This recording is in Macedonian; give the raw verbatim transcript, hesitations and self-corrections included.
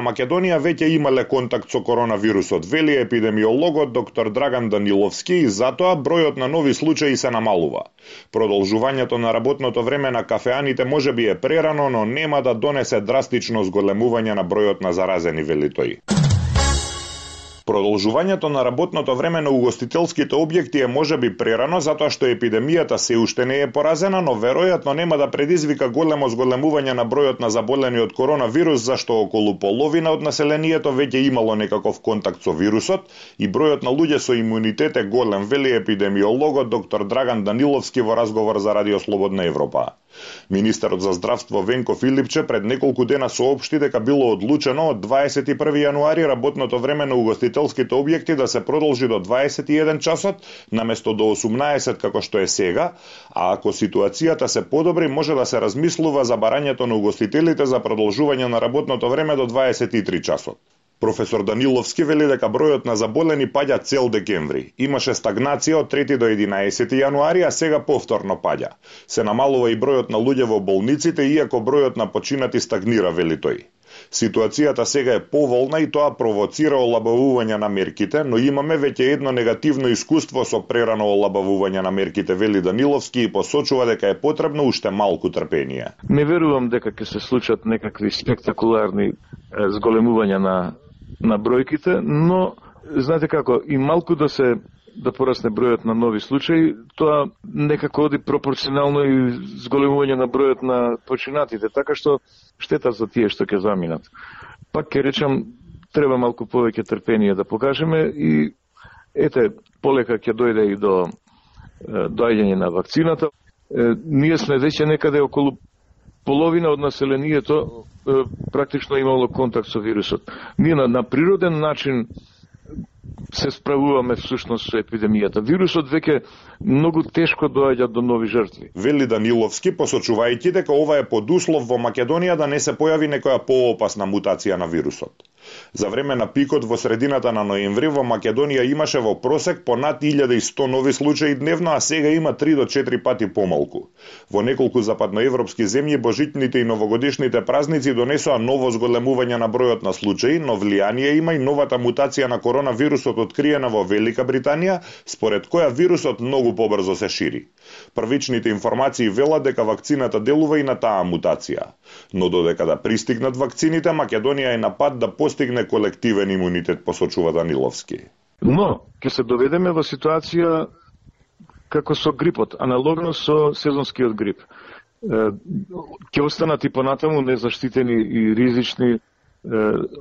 Македонија веќе имале контакт со коронавирусот, вели епидемиологот доктор Драган Даниловски, и затоа бројот на нови случаи се намалува. Продолжувањето на работното време на кафеаните можеби е прерано, но нема да донесе драстично зголемување на бројот на заразени, вели тој. Продолжувањето на работното време на угостителските објекти е можеби прерано затоа што епидемијата се уште не е поразена, но веројатно нема да предизвика големо зголемување на бројот на заболени од коронавирус, зашто околу половина од населението веќе имало некаков контакт со вирусот и бројот на луѓе со имунитет е голем, вели епидемиологот доктор Драган Даниловски во разговор за Радио Слободна Европа. Министерот за здравство Венко Филипче пред неколку дена соопшти дека било одлучено од дваесет и први јануари работното време на угостителските објекти да се продолжи до дваесет и еден часот, наместо до осумнаесет како што е сега, а ако ситуацијата се подобри, може да се размислува за барањето на угостителите за продолжување на работното време до дваесет и три часот. Професор Даниловски вели дека бројот на заболени паѓа цел декември. Имаше стагнација од трети до единаесети јануари, а сега повторно паѓа. Се намалува и бројот на луѓе во болниците, иако бројот на починати стагнира, вели тој. Ситуацијата сега е поволна и тоа провоцира олабавување на мерките, но имаме веќе едно негативно искуство со прерано олабавување на мерките, вели Даниловски, и посочува дека е потребно уште малку трпение. Не верувам дека ќе се случат некакви спектакуларни зголемувања на на бројките, но знаете како, и малку да се да порасне бројот на нови случаи, тоа некако оди пропорционално и зголемување на бројот на починатите, така што штета за тие што ќе заминат. Пак ќе речам, треба малку повеќе трпение да покажеме и ете, полека ќе дојде и до доаѓање на вакцината. Е, ние сме веќе некаде околу половина од населението е, практично имало контакт со вирусот. Ние на, на природен начин се справуваме всушност со епидемијата. Вирусот веќе многу тешко доаѓа до нови жртви. Вели Даниловски, посочувајќи дека ова е подуслов во Македонија да не се појави некоја поопасна мутација на вирусот. За време на пикот во средината на ноември во Македонија имаше во просек по над илјада и сто нови случаи дневно, а сега има три до четири пати помалку. Во неколку западноевропски земји божитните и новогодишните празници донесоа ново зголемување на бројот на случаи, но влијание има и новата мутација на коронавирусот откриена во Велика Британија, според која вирусот многу побрзо се шири. Првичните информации велат дека вакцината делува и на таа мутација. Но додека да пристигнат вакцините, Македонија е на пат да постигне колективен имунитет, посочува Даниловски. Но, ќе се доведеме во ситуација како со грипот, аналогно со сезонскиот грип. Ќе останат и понатаму незаштитени и ризични